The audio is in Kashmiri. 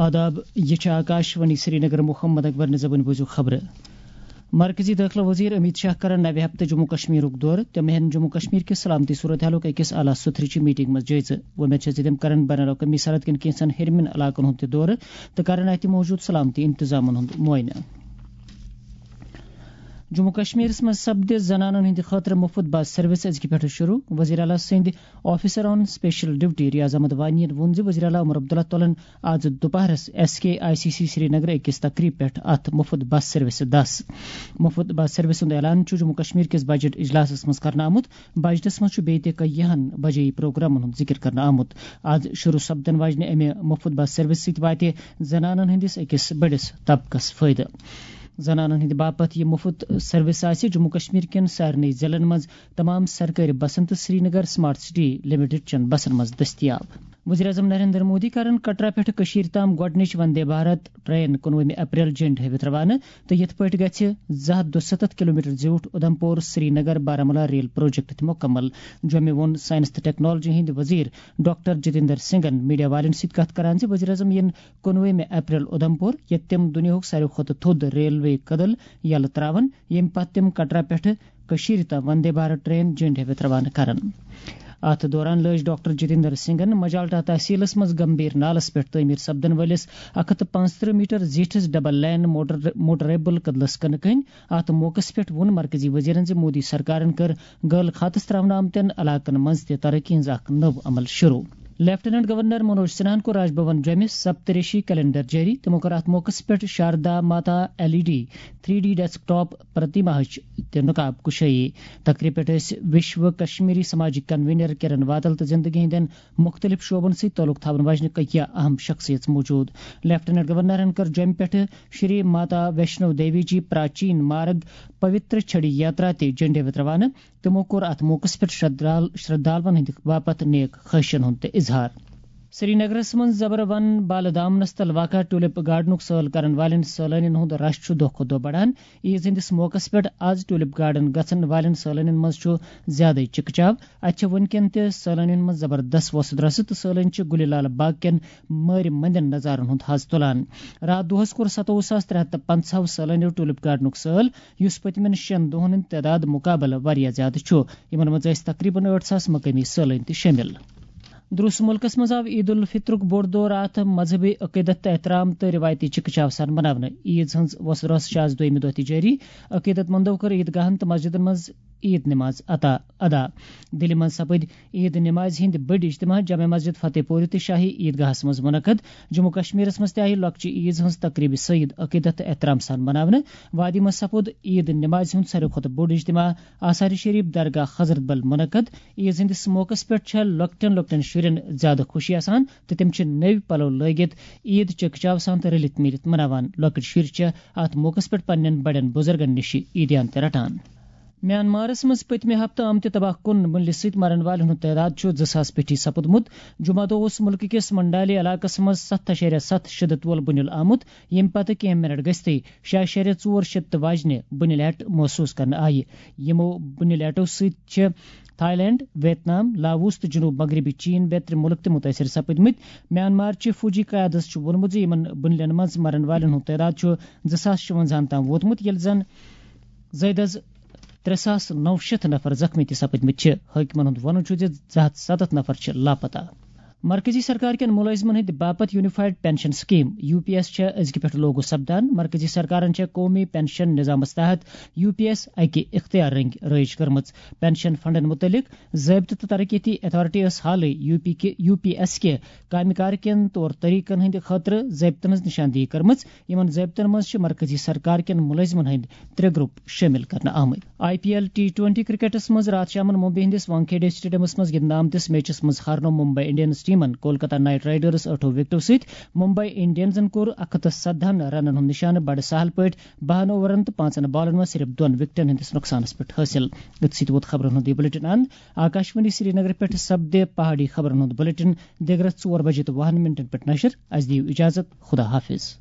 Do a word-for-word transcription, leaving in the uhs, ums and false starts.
آداب، یہِ چھِ آکاشوانی سرینگر۔ محمد اکبر نِزبٕنۍ بوٗزِو خبرٕ۔ مرکزی دٲخلہٕ وزیر امیت شاہ کرن نوِ ہفتہٕ جموں کشمیرُک دورٕ۔ تِم ہٮ۪ن جموں کشمیر کِس سلامتی صورت حالُک أکِس اعلیٰ سطحٕچہِ میٹنگ منٛز جٲیزٕ۔ وۄمید چھےٚ زِ تِم کرن بین الاقوٲمی سرحد کٮ۪ن کینٛژن ہیٚرمٮ۪ن علاقن ہُنٛد تہِ دورٕ تہٕ کرن اتہِ موجود سلامتی انتظامن ہُنٛد معائنہٕ۔ جموں کشمیرس منٛز سپدِ زنانن ہٕنٛدِ خٲطرٕ مُفت بس سروس أزکہِ پٮ۪ٹھٕ شروع۔ وزیر اعلیٰ سٕنٛدِ Officer on Special Duty Riyaz Ahmad Wani ین ووٚن زِ وزیر اعلیٰ عمر عبداللہ تُلن آز دُپہرس S K I C C Srinagar أکِس تقریب پٮ۪ٹھ اتھ مُفت بس سروسہِ دس۔ مُفت بس سروس ہُنٛد اعلان چھُ جموں کشمیر کِس بجٹ اجلاسس منٛز کرنہٕ آمُت۔ بجٹس منٛز چھُ بیٚیہِ تہِ کینٛہَن بجٲیی پروگرامن ہُنٛد ذِکر کرنہٕ آمُت۔ آز شروع سپدن واجنہِ امہِ مُفت بس سروس سۭتۍ واتہِ زنانن ہٕنٛدِس أکِس بٔڑِس طبقس فٲیدٕ۔ زنانن ہٕنٛدِ باپتھ یہِ مُفت سروس آسہِ جموں کشمیر کٮ۪ن سارنٕے ضلعن منٛز تمام سرکٲرۍ بسن تہٕ سرینگر سمارٹ سٹی لمیٹڈ چٮ۪ن بسن منٛز دٔستیاب۔ وزیر اعظم نریندر مودی کرن کٹرا پٮ۪ٹھٕ کٔشیٖرِ تام گۄڈٕنِچ وندے بھارت ٹرین کُنوُہمہِ اپریل جھنڈ ہٲوِتھ روانہٕ تہٕ یِتھ پٲٹھۍ گژھِ زٕ ہَتھ دُسَتتھ کلومیٹر زیوٗٹھ اُدھمپور سرینگر بارہمولہ ریل پروجیکٹ تہِ مُکمل۔ جوٚمہِ ووٚن ساینس تہٕ ٹیکنالوجی ہٕنٛدۍ وزیر ڈاکٹر جتیندر سنگھن میڈیا والٮ۪ن سۭتۍ کتھ کران زِ وزیر اعظم یِن کُنوُہمہِ اپریل اُدھمپور، ییٚتہِ تِم دُنیاہُک ساروی کھۄتہٕ تھوٚد ریلوے کدل یلہٕ تراون، ییٚمہِ پتہٕ تِم کٹرا پٮ۪ٹھٕ کٔشیٖرِ تام وندے بھارت ٹرین جھنڈ ہٲوِتھ روانہٕ کرن۔ اتھ دوران لٲج ڈاکٹر جتیندر سنگھن مجالٹا تحصیلس منٛز گمبھیر نالس پٮ۪ٹھ تعمیٖر سپدن وٲلِس اکھ ہَتھ تہٕ پانٛژترٕہ میٹر زیٖٹھِس ڈبل لین موٹر، موٹریبل کدلس کٕنہٕ کٔنۍ۔ اتھ موقعس پٮ۪ٹھ ووٚن مرکزی وزیرن زِ مودی سرکارن کٔر غٲل خاتس تراونہٕ آمتٮ۪ن علاقن منٛز تہِ ترقی ہٕنٛز اکھ نٔو عمل شروع۔ لیفٹیننٹ گورنر منوج سنہاہن کوٚر راج بھون جوٚمہِ سپتریشی کیلنڈر جٲری۔ تِمو کٔر اتھ موقعس پٮ۪ٹھ Sharda Mata L E D three D desktop ٹاپ پرتیماہٕچ تہِ نقاب کُشٲیی۔ تقریب پٮ۪ٹھ ٲسۍ وشو کشمیری سماجٕکۍ کنوینر کرن وادل تہٕ زندگی ہٕنٛدٮ۪ن مُختٔلِف شعبن سۭتۍ تعلق تھاون واجنہِ ککیا اہم شخصیژ موجود۔ لیفٹیننٹ گورنرن کٔر جوٚمہِ پٮ۪ٹھٕ شری ماتا ویشنو دیوی جی پراچین مارگ پوتر چھڑی یاترا تہِ جھنڈے وِتھ روانہٕ۔ تِمو کوٚر اتھ موقعس پٮ۪ٹھ شردھال-، شردھالون ہٕنٛدِ باپتھ نیک خواہشن ہُنٛد تہِ اظہار۔ سرینگرس منٛز زبر ون بالہٕ دامنس تل واقع ٹولپ گارڈنُک سٲل کرن والٮ۪ن سٲلٲنین ہُنٛد رش چھُ دۄہ کھۄتہٕ دۄہ بڑان۔ عیٖد ہٕنٛدِس موقعس پٮ۪ٹھ آز ٹولپ گارڈن گژھن والٮ۪ن سٲلٲنین منٛز چھُ زیادَے چِکہٕ چاو۔ اتہِ چھِ وُنکٮ۪ن تہِ سٲلٲنین منٛز زبردست وۄسہٕ درۄسہٕ تہٕ سٲلٲنۍ چھِ گُلہِ لال باغ کٮ۪ن مٲرۍ مٔنٛدٮ۪ن نظارن ہُنٛد حظ تُلان۔ راتھ دۄہس کوٚر ستووُہ ساس ترٛےٚ ہتھ تہٕ پنٛژاہ سٲلٲنیو ٹولپ گارڈنُک سٲل، یُس پٔتمٮ۪ن شٮ۪ن دۄہن ہٕنٛدِ تعداد مُقابلہٕ واریاہ زیادٕ چھُ۔ یِمن منٛز ٲسۍ تقریباً ٲٹھ ساس مقٲمی سٲلٲنۍ تہِ شٲمِل۔ درُس مُلکس منٛز آو عید الفطرُک بوٚڑ دۄہ راتھ مذہبی عقیدت تہٕ احترام تہٕ رِوایتی چِکہٕ چاو سان مناونہٕ۔ عیٖد ہٕنٛز وۄسہٕ درۄسہٕ چھِ آز دوٚیمہِ دۄہ تہِ جٲری۔ عقیدت مندو کٔر عیدگاہن تہٕ مسجدن منٛز عید نماز عطا ادا۔ دِلہِ منٛز سپٕدۍ عید نمازِ ہٕنٛدۍ بٔڑۍ اجتماع جامع مسجد فتح پوٗرِ تہٕ شاہی عیدگاہس منٛز منعقد۔ جموں کشمیرس منٛز تہِ آیہِ لۄکچہِ عیز ہٕنٛز تقریبِ سعید عقیدت تہٕ احترام سان مناونہٕ۔ وادی منٛز سپُد عید نمازِ ہُنٛد ساروی کھۄتہٕ بوٚڑ اجتماع آثار شریف درگاہ حضرت بل منعقد۔ عیز ہٕنٛدِس موقعس پٮ۪ٹھ چھےٚ لۄکٹٮ۪ن لۄکٹٮ۪ن شُرٮ۪ن زیادٕ خوشی آسان تہٕ تِم چھِ نٔوۍ پلو لٲگِتھ عید چکچاو سان تہٕ رٔلِتھ میٖلِتھ مناوان۔ لۄکٕٹۍ شُرۍ چھِ اتھ موقعس پٮ۪ٹھ پننٮ۪ن بڑٮ۪ن بُزرگن نِش عیدیان تہِ رٹان۔ میانمارس منٛز پٔتمہِ ہفتہٕ آمتہِ تباہ کُن بُنلہِ سۭتۍ مرن والٮ۪ن ہُنٛد تعداد چھُ زٕ ساس پیٚٹھی سپُدمُت۔ جمعہ دۄہ اوس مُلکہٕ کِس منڈالی علاقس منٛز ستھ اَشاریہ ستھ شدت وول بُنیُل آمُت، ییٚمہِ پتہٕ کینٛہہ منٹ گٔژھتٕے شےٚ اَشاریہ ژور شدت واجنہِ بُنیُل ہیٚٹ محسوٗس کرنہٕ آیہِ۔ یِمو بُنیُل ہیٚٹو سۭتۍ چھِ تھائی لینڈ، ویت نام، لاووس تہٕ جنوب مغربی چین بیترِ مُلک تہِ مُتٲثر سپٕدمٕتۍ۔ میانمار چہِ فوجی قیادس چھُ ووٚنمُت زِ یِمن بُنیلن منٛز مرن والٮ۪ن ہُنٛد تعداد چھُ زٕ ساس شُونٛزاہن تام ووتمُت، ییٚلہِ زن زٲیدٕ از ترٛےٚ ساس نَو شیٚتھ نفر زخمی تہِ سپٕدمٕتۍ چھِ۔ حٲکمَن ہُنٛد وَنُن چھُ زِ زٕ ہَتھ سَتَتھ نفر چھِ لاپتہ۔ مرکزی سرکار کٮ۪ن مُلٲزمَن ہٕنٛدِ باپتھ unified pension scheme, U P S, چھےٚ أزکہِ پٮ۪ٹھٕ لاگو سپدان۔ مرکزی سرکارَن چھےٚ قومی پنشن نظامَس تحت یو پی ایس اَکہِ اختیار رٔنگۍ رٲیِج کٔرمٕژ۔ پنشن فنڈن مُتعلِق ضٲبطہٕ تہٕ ترقیتی اتھارٹی ٲس حالٕے یو پی کہِ، یو پی ایس کہِ کامہِ کار کٮ۪ن طور طریقن ہٕنٛدِ خٲطرٕ ضٲبطن ہٕنٛز نشاندہی کٔرمٕژ۔ یِمن ضٲبطن منٛز چھِ مرکزی سرکار کٮ۪ن مُلٲزمن ہٕنٛدۍ ترٛےٚ گروپ شٲمِل کرنہٕ آمٕتۍ۔ I P L T twenty کرکٹس منٛز راتھ شامَن ممبئی ہٕنٛدِس وانکھیڈے اسٹیڈیمس منٛز گِنٛدنہٕ آمتِس میچس منٛز ہارنوو ممبئی انڈینز ٹیمن کولکتہ نائٹ رائیڈرز ٲٹھو وکٹو سۭتۍ۔ ممبئی انڈینزن کوٚر اکھ ہَتھ تہٕ سَدہَن رنن ہُنٛد نشانہٕ بڑٕ سہل پٲٹھۍ بَہَن اوورن تہٕ پانٛژن بالن منٛز صرف دۄن وکٹن ہٕنٛدِس نۄقصانس پٮ۪ٹھ حٲصِل۔ أتھۍ سۭتۍ ووت خبرن ہُنٛد یہِ بلیٹن اند۔ آکاشوانی سرینگر پٮ۪ٹھ سپدِ پہاڑی خبرن ہُنٛد بلیٹن دِگرس ژور بجے تہٕ وُہن منٹن پٮ۪ٹھ نشر۔ اسہِ دِیِو اجازت۔ خدا حافظ۔